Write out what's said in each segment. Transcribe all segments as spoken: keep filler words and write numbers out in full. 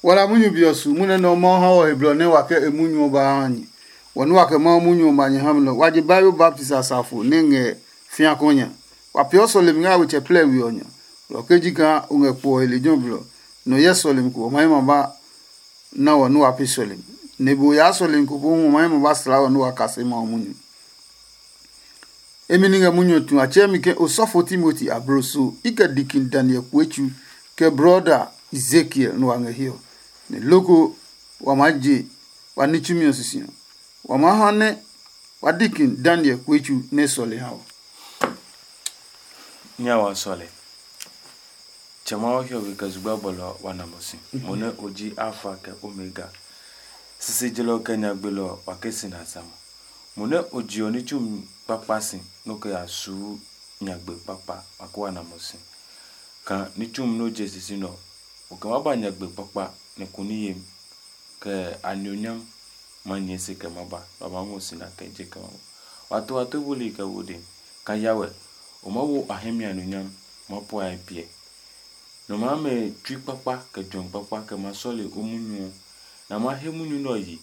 Wala munyu be ɔ su munyu nɛ Mawu ha wɔ he blɔ nɛ wa kɛ e munyu ɔ ba ha nyɛ. Wɔ nɛ wa kɛ Mawu munyu ɔ ma nyɛ ha mi nɛ wa je Bible baptisi asafo nɛ ngɛ fĩa kɔ nya. Wa peeɔ sɔlemi ngɛ a wetsɛ plɛ we ɔ nya. Lɔ ke ji kaa o ngɛ kpo ɔ he lejɛ ɔ blɔ, nɛ o hyɛ sɔlemi ko ɔ ma hɛ ma ba na wɔ nɛ wa pee sɔlemi. Nɛ e be o yaa sɔlemi ko pohu ɔ ma hɛ ma ba slaa wɔ nɛ wa kase Mawu munyu. Emi ni ngɛ munyu ɔ tu a tsɛɛ mi ke osɔfo Timoti abloso i kɛ dikin Daniel kue tsu kɛ brɔda Ezekiel nɛ wa ngɛ hiɛ ɔ. Nɛ loko wa maa je wa ní tsumi ɔ sisi ɔ, wa maa ha nɛ wa dikin Daniel kue tsu nɛ e sɔle ha ɔ. Nya wa sɔle. Tsɛ Mawu hiɔwe kɛ zugba bɔlɔ wa na mo si. Mo nɛ o ji Alfa kɛ Omega. Sisi jelɔ kɛ nyagbe lɔ wa ke si na sa mo. Mo nɛ o jiɔ ní tsumi kpakpa si nɛ o kɛ ya suu nyagbe kpakpa, a ko wa na mo si. Ka ní tsumi nɛ o je sisi nɛ ɔ, o kɛ ma ba nyagbe kpakpa nɛ ko ní yemi, kɛ a nionyam ma nyɛɛ se kɛ ma ba, nɛ wa ma ngɔ si na kɛ je kɛ ma ba. Wa to wa to buli kɛ wo de, ka ya wɛ, o ma wo a hɛ mi a nionyam, ma puɛ a piɛ. Nɔ maa mɛ tsui kpakpa kɛ juɛmi kpakpa kɛ ma sɔle o munyu ɔ, nɛ a ma he munyu nɛ ɔ yi,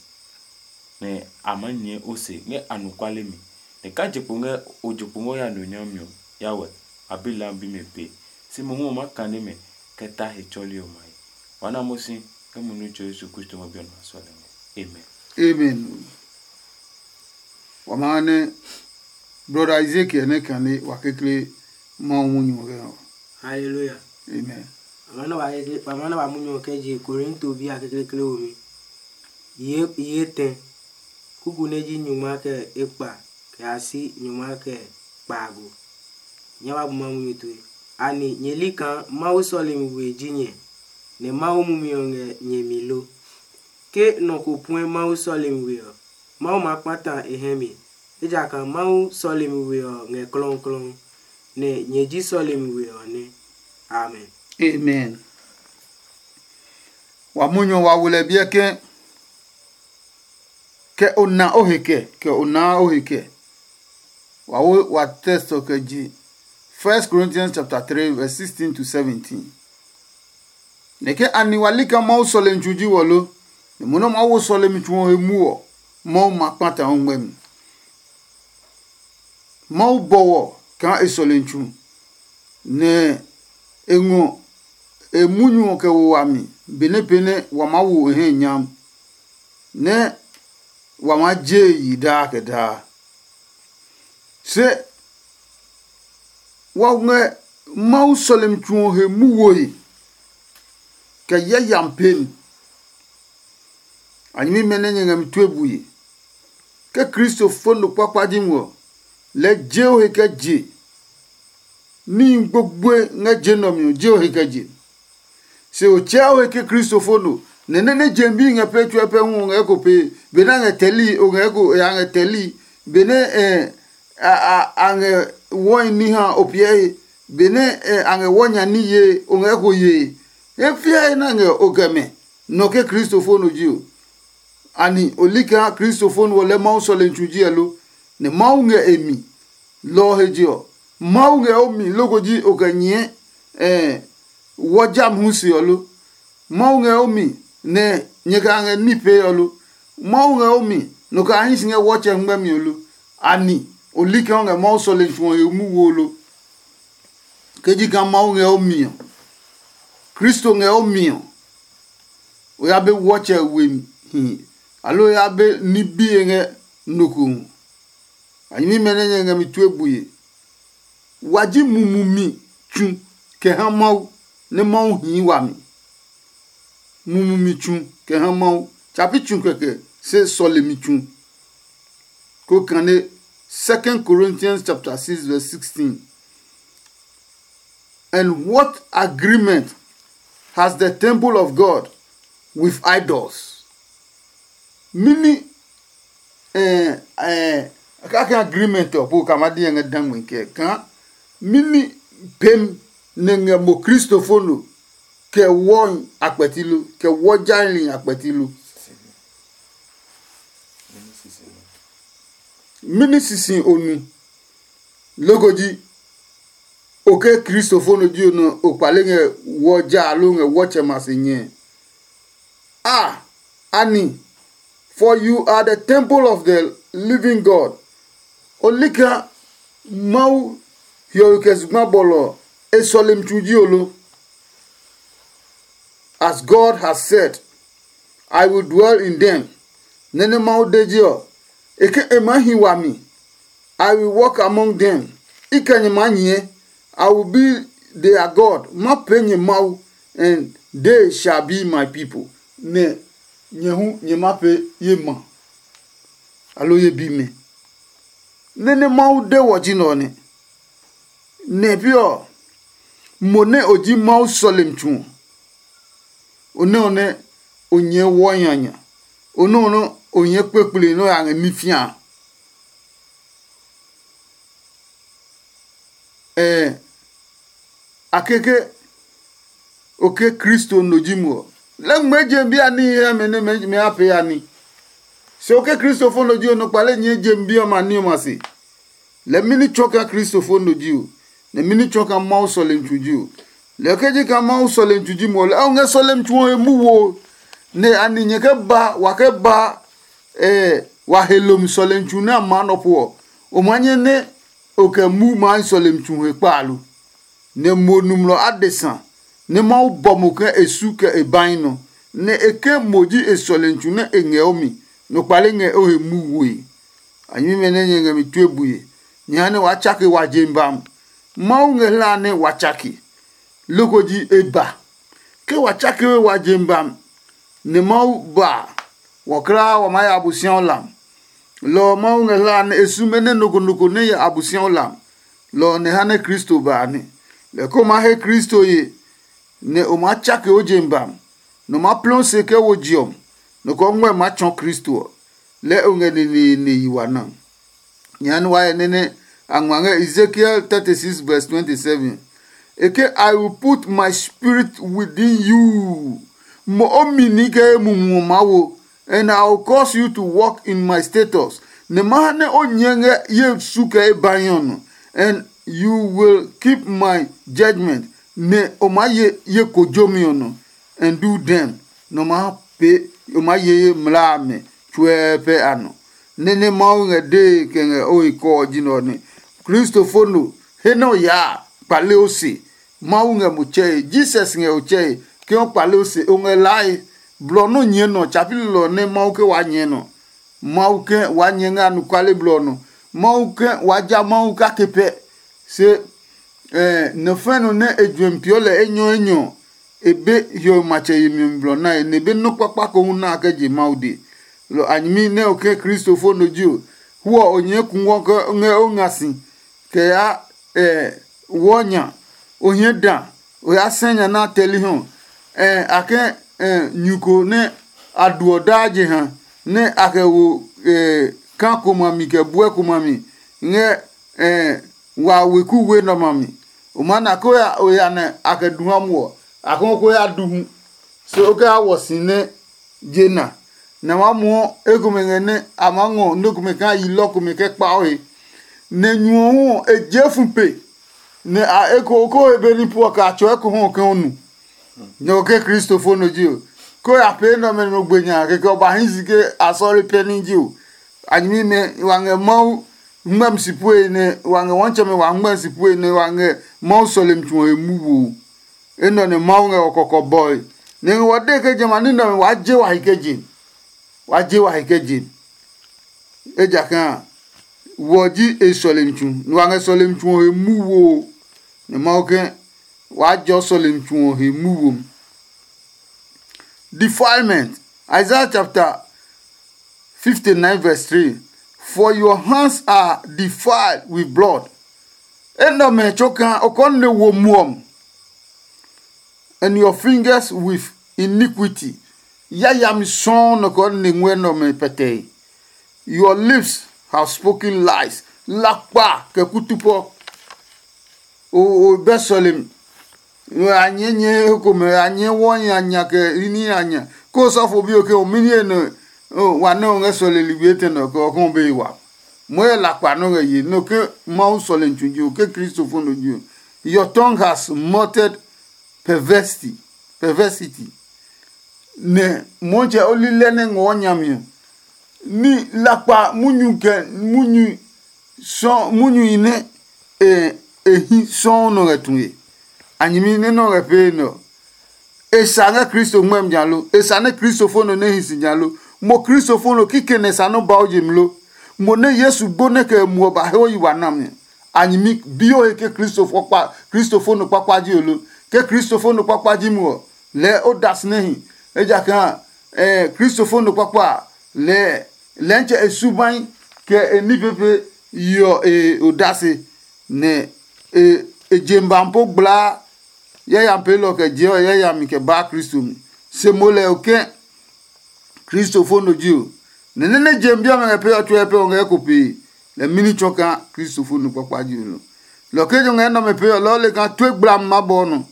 nɛ a maa nyɛɛ o se ngɛ anɔkuale mi. Nɛ ka je kpo ngɛ o je kpo ngɛ o ya nɔ nyami ɔ, ya wɛ, a bi lam bi mɛ pe. Se mohu ɔ maa kane mɛ kɛ ta he tsɔli ɔmɛ a he. Wa na mo si ngɛ mo Nitsɛ Yesu Kristo ngɔ bi ɔ nɔ a sɔle ngɛ. Amen. Amen. Wa maa nɛ brɔda Ezekiel nɛ kane wa kekle Mawu munyu ɔ kɛ ɔ. Hallelujah. Amen. Wa maa na wa kekle wa maa na wa munyu ɔ kɛ je Korinto bi a kekle kle womi. Ye ye tɛ. Kuku nɛ ji nyungma kɛ ekpa kɛ a si nyungma kɛ kpaago. Nyɛ wa bu Mawu munyu tue. Ani nyɛ li kaa Mawu sɔlemi we ji nyɛ, nɛ Mawu mumi ɔ ngɛ nyɛ mi lo? Ke nɔ ko puɛ Mawu sɔlemi we ɔ, Mawu ma kpata e hɛ mi, ejakaa Mawu sɔlemi we ɔ ngɛ klɔuklɔu, nɛ nyɛ ji sɔlemi we ɔ nɛ. Amen. Amen. Wa munyu ɔ wa wo lɛ biɛ ke kɛ o na o he kɛ kɛ o naa o he kɛ. Wa wo wa tɛstɔ kɛ je First Corinthians chapter three verse sixteen to seventeen. Nɛ ke a ni wa li kaa Mawu sɔlemi tsu ji wɔ lo, nɛ mo nɛ Mawu wo sɔlemi tsu ɔ he mu ɔ, Mawu ma kpata o ngmɛmi. Mawu bɔ wɔ kaa e sɔlemi tsu, nɛ e ngɔ e munyu ɔ kɛ wo wami benɛ pee nɛ wa maa wo e hɛ nyam, nɛ wa maa je e yi daa kɛ daa. Se wa ngɛ Mawu sɔlemi tsu ɔ he mu woe kɛ yayami pee mi. A nyɛmimɛ nɛ nyɛ ngɛ mi tue bue. Ke Kristo fo nɔ kpakpa ji ngɔ, lɛɛ je o he kɛ je. Níhi gbogboe ngɛ je nɛ ɔ mi ɔ, je o he kɛ je. Se o tsɛɛ o he ke Kristo fo nɔ, nɛ nɛ nɛ je bi ngɛ pee tsuɛ pɛ hu o ngɛ ko pee, benɛ a ngɛ tɛli o ngɛ ko a ngɛ tɛli, benɛ a a a ngɛ wɔi ní ha o piɛ he, benɛ a ngɛ wɔ nya ní ye o ngɛ ko ye. He fiae nɛ a ngɛ o kɛ mɛ, nɔ ke Kristo fo nɔ ji o. Ani o li kaa Kristo fo nɔ ɔ lɛ Mawu sɔlemi tsu ji ɛ lo? Nɛ Mawu ngɛ e mi. Lɔ ɔ he je ɔ, Mawu ngɛ o mi loko ji o kɛ nyɛɛ wɔ jami hu se ɔ lo? Mawu ngɛ o mi nɛ nyɛ kɛ a ngɛ ní pee ɔ lo? Mawu ngɛ o mi nɔ kɛ a hí si ngɛ wɔ tsɛ ngmɛmi ɔ lo? Ani o li kaa o ngɛ Mawu sɔlemi tsu ɔ he mu wo lo? Ke ji kaa Mawu ngɛ o mi ɔ, Kristo ngɛ o mi ɔ, o ya be wɔ tsɛ we hi, aloo o ya be ní bi e ngɛ nɔ ko hu. A nyɛmimɛ nɛ nyɛ ngɛ mi tue bue. Wa ji mumumi tsu kɛ ha Mawu, nɛ Mawu hii wami. Mumumi tsu kɛ ha Mawu. Tsapi tsu kɛkɛ, se sɔlemi tsu. Ko kane Second Corinthians chapter six verse sixteen. And what agreement has the temple of God with idols? Mini eh eh kaka agreement ɔ po kama di ngɛ dangme kɛ ka mini pem ne ngɛ mo Kristofo no kɛ wɔ akpɛti lo, kɛ wɔ jailin akpɛti lo. Mini sisi o nu? Loko ji, o ke Kristofo no ji o nɔ o kpale ngɛ wɔ ja alo ngɛ wɔ tsɛ ma se nyɛ. Ah, Annie, for you are the temple of the living God. Olika Mawu hiɔwe kɛ zugba bɔlɔ ɔ, e sɔlemi tsu ji olo. As God has said, I will dwell in them. Nɛ nɛ Mawu de ji ɔ, e ke e maa hi wami. I will walk among them. I kɛ nyɛ maa nyɛɛ. I will be their God. Ma pee nyɛ Mawu, and they shall be my people. Nɛ nyɛ hu nyɛ ma pee ye ma, aloo ye bimɛ. Nɛ nɛ Mawu de wɔ ji nɛ ɔ nɛ. Nɛ pi ɔ, mo nɛ o ji Mawu sɔlemi tsu ɔ, o nɛ ɔ nɛ o nyɛɛ wɔ nyanya, o nɛ ɔ nɛ o nyɛɛ kpekple nɛ o ya ngɛ ní fĩa. Ɛɛ, a keke o ke Kristo no ji mo ɔ, lɛ ngmɛɛ je bi a níhi hɛ mɛ nɛ mɛ a pee a ní. Se o ke Kristo fo no ji o, nɔ kpale nyɛɛ je bi ɔmɛ a ní ɔmɛ a se. Lɛ mɛni tsɔ kaa Kristo fo no ji o, nɛ mɛni tsɔ kaa Mawu sɔlemi tsu ji o. Lɛ ke ji kaa Mawu sɔlemi tsu ji mo ɔ, lɛ o ngɛ sɔlemi tsu ɔ he mu wo, nɛ a ni nyɛ kɛ ba wa kɛ ba wa he lomi sɔlemi tsu nɛ a maa nɔ po ɔ, o maa nyɛ nɛ o kɛ mu maa sɔlemi tsu he kpaalu. Nɛ mo nɔmlɔ adesa nɛ Mawu bɔ mo ke e su kɛ e bahi nɔ, nɛ e ke mo ji e sɔlemi tsu nɛ e ngɛ o mi, nɔ kpale ngɛ o he mu woe. A nyɛmimɛ nɛ nyɛ ngɛ mi tue bue, nyɛ ha nɛ waa tsake wa je bam. Mawu ngɛ hlaa nɛ wa tsake, loko ji e ba. Ke wa tsake we wa je bam, nɛ Mawu ba, wɔkla wa maa ya Abosiaɔ lam. Lɔ ɔ Mawu ngɛ hlaa nɛ e sume nɛ nɔ ko nɔ ko nɛ ya Abosiaɔ lam. Lɔ ɔ nɛ ha nɛ Kristo ba a nɛ. Lɛ ko maa he Kristo ye, nɛ o maa tsake o je bam, nɛ o maa plɛ o se kɛ wo je ɔ, nɔ ko ɔ ngmɛ maa tsɔɔ Kristo ɔ. Lɛɛ o ngɛ neneene yi wa na. Jehanɛ wa hyɛ nɛ nɛ a ngma ngɛ Ezekiel thirty-six verse twenty-seven. E ke, "I will put my spirit within you." Mo o mi ni kɛ ye mumi ɔ maa wo, and I will cause you to walk in my status. Nɛ ma ha nɛ o nyɛ ngɛ ye su kɛ ye bahi ɔ nɔ, and you will keep my judgment, nɛ o maa ye ye kojomi ɔ nɔ, and do them. Nɔ maa pee o maa ye ye mlaa amɛ tsuɛ pɛ a nɔ. Nɛ nɛ Mawu ngɛ dee kɛ ngɛ o he kɔɔ ji nɛ ɔ nɛ. Kristofo no he nɛ o yaa kpale o se. Mawu ngɛ mo tsɛe, Jesus ngɛ o tsɛe. Ke o kpale o se, o ngɛ lae. Blɔ nɔ nyɛɛ nɔ, tsapi lilɔ nɛ Mawu ke waa nyɛɛ nɔ. Mawu ke waa nyɛɛ ngɛ anɔkuale blɔ nɔ. Mawu ke waa ja Mawu kake pɛ. Se nɔ fɛ̃ nɔ nɛ e juɛmi peeɔ lɛ enyɔ enyɔ ɔ, e be hiɔwe matsɛ yemi ɔ mi blɔ nae, nɛ e be nɔ́ kpakpa ko hu na a kɛ je Mawu dee. Lɔ a nyɛmi nɛ o ke Kristofo no ji o, hu ɔ o nyɛɛ kungwɔ ke ngɛ o nga si kɛ yaa wɔɔ nya, o hie da, o ya sɛ nya nɛ a tɛli hɔ. A kɛ nyu ko nɛ a duɔ daa jeha nɛ a kɛ wo kaa ko ma mi kɛ buɛ ko ma mi ngɛ wa weku we nɛ ɔmɛ a mi. O maa na ko ya o ya nɛ a kɛ du ha muɔ, a ko ko ya du hu. Se o kɛ ya wɔ si nɛ je na, nɛ a maa muɔ ekomɛ ngɛ nɛ a maa ngɔ nɛ komɛ kaa yi lɔ komɛ kɛ kpa o he. Nɛ nyu ɔ hu ɔ, e jee fu pe, nɛ a eko ko he be ní puɔ kɛ a tsɔɔ eko hu ɔ ke o nu. Nɛ o ke Kristofo no ji o. Ko ya pee nɛ ɔmɛ nɔ gbe nya kɛkɛ o ba hi si ke a sɔle pɛ ní ji o. A nyɛmimɛ wa ngɛ Mawu ngmɛmi si pue nɛ wa ngɛ wɔntsɛmɛ wa ngmɛmi si pue nɛ wa ngɛ Mawu sɔlemi tsu ɔ he mu wo. Enɛ ɔ nɛ Mawu ngɛ wɔ kɔkɔ bɔe. Nɛ ngɛ wɔ de ke jamɛ a ní nɛ ɔmɛ waa je wa he kɛ je. Waa je wa he kɛ je. Ejakaa a, wɔ ji e sɔlemi tsu, nɛ wa ngɛ sɔlemi tsu ɔ he mu wo. Nɛ Mawu ke waa jɔ sɔlemi tsu ɔ he mu wo. Defilement. Isaiah chapter fifty-nine verse three. "For your hands are defiled with blood." Enɛ ɔmɛ tsokaa o kɔɔ nɛ wo muɔ, and your fingers with iniquity. Yayami sɔɔ nɔ kɔɔ nɛ ngɔɛ nɛ ɔmɛ pɛtɛe. Your lips have spoken lies. Lakpa kɛ kutupɔ. O o bɛ sɔlemi. A nyɛɛ nyɛɛ he komɛ, a nyɛɛ wɔ nya nya kɛ ní a nya. Ko sɔfo bi o ke o mi niye nɔ wa nɛ o ngɛ sɔlemi ligbi etɛ nɔ kɛ ɔ kɔn be wa. Mo yɛ lakpa nɔ ngɛ ye nɔ ke Mawu sɔlemi tsu ji o ke Kristofo no ji o. Your tongue has muttered perversity, perversity. nɛ Mɔtsɛ o li lɛ nɛ ngɔɔ nya mi ɔ, ní lakpa munyu kɛ munyu sɔ munyuhi nɛ e e hi sɔuu nɔ ngɛ tue. A nyɛmi nɛ nɔ ngɛ pee nɛ ɔ, e sa ngɛ Kristo ngmɛmi nya lo? E sa nɛ kristofo nɔ nɛ hi si nya lo? Mo kristofo nɔ kikɛ nɛ sa nɔ́ ba o je mi lo? Mo nɛ Yesu gbo nɛ kɛ e muɔ ba he o yi wa nami ɔ, a nyɛmi bi o he ke kristofo kpa kristofo nɔ kpakpa ji o lo? Ke kristofo nɔ kpakpa ji mo ɔ, lɛɛ o da si nɛ hi. Ejakaa eh, kristofo nɔ kpakpa a, lɛɛ lɛntsɛ e subai kɛ e ní pepe yeɔ e odase, nɛ e e jem ba po gblaa yayami peelɔ kɛ jeɔ yayami kɛ baa Kristo mi. Se mo lɛ o ke kristofo no ji o, nɛ nɛ nɛ jem bi ɔmɛ ngɛ pee ɔ tsuɛ pɛ ɔ ngɛ ko pee, lɛ mini tsɔ kaa kristofo no kpakpa ji o lo. Lɔ ke jo ngɛ nɛ ɔmɛ pee ɔ lɔɔ le kaa tue gblam ma bɔ nɔ.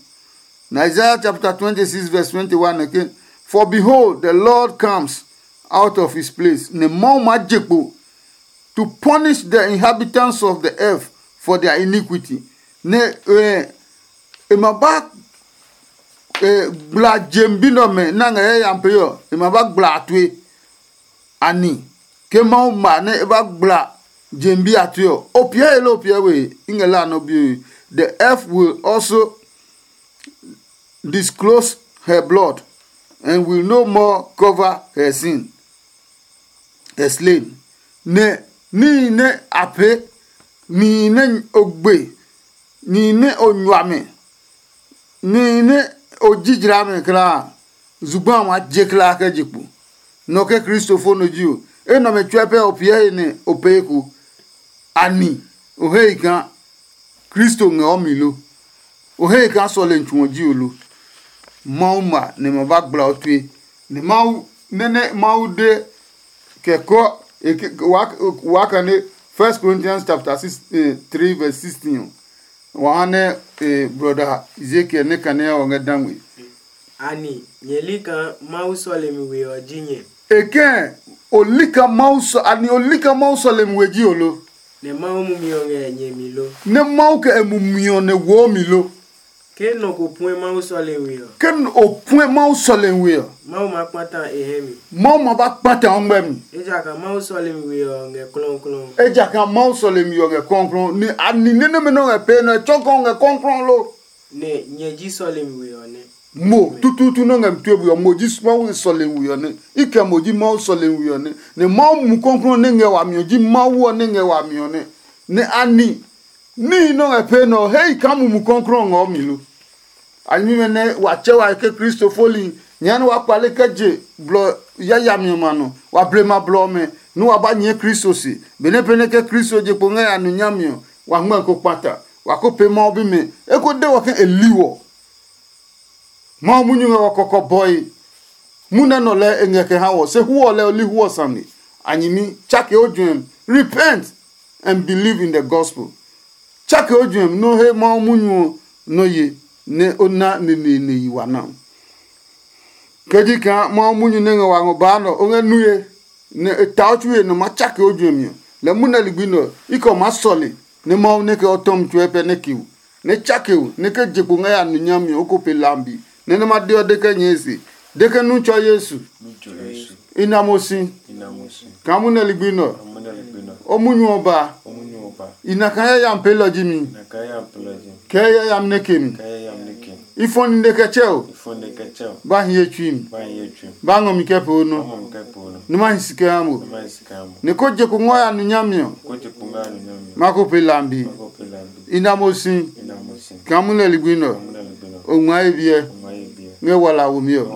Na Isaiah chapter twenty-six verse twenty-one ke, "For behold, the Lord comes out of his place." Ne Mawu ma je kpo to punish the inhabitants of the earth for their iniquity. Ne eh, e ma ba eh, gbla jem bi nɛ ɔmɛ na ngɛ yayami pee ɔ, e ma ba gbla a tue. Ani ke Mawu ma nɛ e ba gbla jem bi a tue ɔ, o piɛ he loo o piɛ we? I ngɛ la nɔ bi. The earth will also disclose her blood and will no more cover her sin, her slain. Nɛ níhi nɛ a pee, nihi nɛ o gbe, nihi nɛ o nyuamɛ, nihi nɛ o ji jlami klaa, zugba a ma je klaa kɛ je kpo. Nɔ ke kristofo no ji o, enɛ ɔmɛ tsuɛ pɛ o piɛ he nɛ o pee eko. Ani o he yi kaa Kristo ngɛ o mi lo? O he yi kaa sɔlemi tsu ɔ ji o lo? Mawu ma nɛ ma ba gbla o tue. Nɛ Mawu nɛ nɛ Mawu de kɛ kɔ e ke- waa waa kane First Corinthians chapter six, eh, three verse sixteen ɔ, wa ha nɛ eh, brother Ezekiel ne kane ɔ ngɛ dangwe. Ani nyɛ li kaa Mawu sɔlemi we ɔ ji nyɛ? E kɛ o li ka Mawu sɔ ani o li ka Mawu sɔlemi we ji o lo? Nɛ Mawu mumi ɔ ngɛ nyɛ mi lo? Nɛ Mawu kɛ e mumi ɔ nɛ wo mi lo? Ke nɔ ko puɛ Mawu sɔlemi we ɔ, Ke n- o puɛ Mawu sɔlemi we ɔ, Mawu ma kpata e hɛ mi. Mawu ma ba kpata o ngmɛ mi. Ejakaa Mawu sɔlemi we ɔ ngɛ klɔuklɔu. Ejakaa Mawu sɔlemi ɔ ngɛ kɔnklɔn ni ani nɛ nɛmɛ nɔ ngɛ pee nɔ tsɔkɔ ngɛ kɔnklɔn lo? Nɛ nyɛ ji sɔlemi we ɔ nɛ. Mo tututu nɔ ngɛ mi tue buyɔ mo ji Mawu sɔlemi we ɔ nɛ. I kɛ mo ji Mawu sɔlemi we ɔ nɛ. Nɛ Mawu mu kɔnklɔn nɛ ngɛ wami ɔ ji Mawu ɔ nɛ ngɛ wami ɔ nɛ. Nɛ ani níhi nɔ ngɛ pee nɔ ɔ, he yi kaa Mumi Klɔuklɔu ngɔ mi lo? A nyɛmimɛ nɛ wa tsɛ wa ke kristofoli nyɛɛ nɛ wa kpale kɛ je blɔ yayami ɔmɛ a nɔ, wa blema blɔ ɔmɛ nɛ wa ba nyɛɛ Kristo se. Benɛ pɛ nɛ ke Kristo je kpo ngɛ ya nu nyami ɔ, wa ngmɛ ko kpata, wa ko pee Mawu bimɛ. E ko de wɔ ke e li wɔ. Mawu munyu ngɛ wɔ kɔkɔbɔe. Munɛ nɔ lɛɛ e ngɛ kɛ ha wɔ, se hu ɔ lɛɛ o li hu ɔ sane. A nyɛmi, tsake o juɛmi. Repent and believe in the gospel. Tsake o juɛmi nɛ o he Mawu munyu ɔ nɔ ye, nɛ o na neneene yi wa na. Kɛ ji kaa Mawu munyu nɛ ngɛ wa ngɔ baa nɛ ɔ, o ngɛ nue, nɛ e ta o tsue nɛ o maa tsake o juɛmi ɔ, lɛ munɛ ligbi nɛ ɔ, i kɛ o maa sɔle nɛ Mawu nɛ kɛ o tɔmi tsuɛ pɛ nɛ ke o, nɛ tsake o, nɛ ke je kpo ngɛ ya nu nyami ɔ, o ko pe lambi, nɛ nɛ ma de ɔ de kɛ nyɛɛ se, de ke nu tsɔ Yesu. I na mo si. Kaa munɛ ligbi nɛ ɔ, o munyu ɔ ba. I na kaa yayami peelɔ ji mi. Kɛ yayami nɛ ke mi. I fɔ nine kɛ tsɛ o. Ba hiye tsui mi. Ba ngɔ mi kɛ poo nɔ. Nɛ ma hi si kɛ ha mo. Nɛ ko je ko ngɔ ya nu nyami ɔ, ma ko pe lambi. I na mo si. Kaa munɛ ligbi nɛ ɔ, o ngma ye biɛ ngɛ wala wo mi ɔ.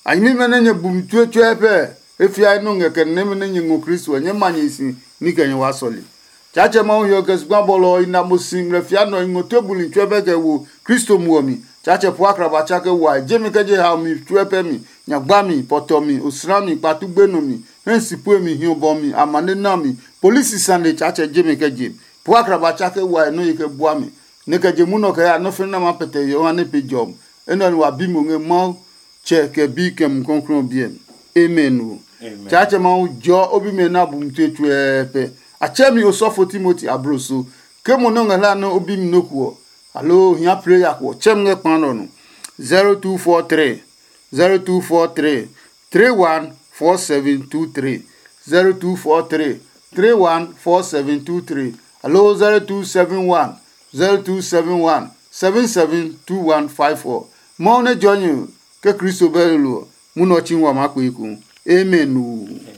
A nyɛmimɛ nɛ nyɛ bu mi tsuetsue pɛ, e fiae nɔ ngɛ kɛ nɛmɛ nɛ nyɛ ngɔ Kristo ɔ, nyɛɛ ma nyɛ si ní kɛ nyɛ waa sɔle. Tsaatsɛ Mawu hiɔ kɛ zugba bɔlɔ ɔ, i na mo si ngmlɛ fia nɔ i ngɔ tue buli tsuɛ bɛ kɛ wo Kristo muɔ mi. Tsaatsɛ po akraba tsa kɛ wae, jemi kɛ je hao mi tsuɛ pɛ mi, nyagba mi, pɔtɔ mi, osla mi, kpatu gbenɔ mi, hɛ si pue mi, hiɔ bɔ mi, amane na mi, polisi sane Tsaatsɛ jemi kɛ je. Po akraba tsa kɛ wae nɔ ye kɛ bua mi, nɛ kɛ je munɔ kɛ ya nɔ́ fɛnɛ nɛ a maa pɛtɛ hiɔ ha nɛ pe jɔmi. Enɛ ɔ wa bi mo ngɛ Mawu Tsɛ kɛ Bi kɛ Mumi Klɔuklɔu ɔ biɛ mi. Amen ɔ. Tsaatsɛ Mawu jɔɔ o bimɛ nɛ a bu mi tue tsuɛɛ pɛ. A tsɛ mi osɔfo Timoti abloso. Ke mo nɛ o ngɛ hlae nɛ o bi mi nɔ́ ko ɔ, aloo o hia prayer ko ɔ, tsɛ mi ngɛ kpa nɛ ɔ nɔ. zero two four three zero two four three three one four seven two three, zero two four three three one four seven two three, aloo zero two seven one zero two seven one seven seven two one five four. Mawu nɛ jɔnyɛ ke Kristo bɛ lolo ɔ, munɔ chi wa maa kpe eko. Amen.